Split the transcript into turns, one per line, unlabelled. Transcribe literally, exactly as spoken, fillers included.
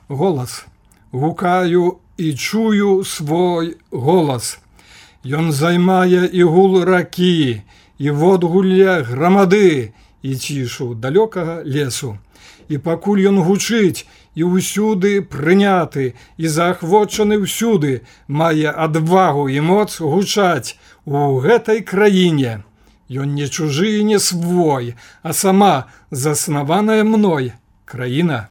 голас. Гукаю і чую свой голас. Ён займае і гул ракі, і водгулля грамады, і цішу далёкага лесу. І пакуль ён гучыць, і ўсюды прыняты, і заахвочаны ўсюды, мае адвагу і моц гучаць у гэтай краіне. Ён не чужы і не свой, а сама заснаваная мной краіна.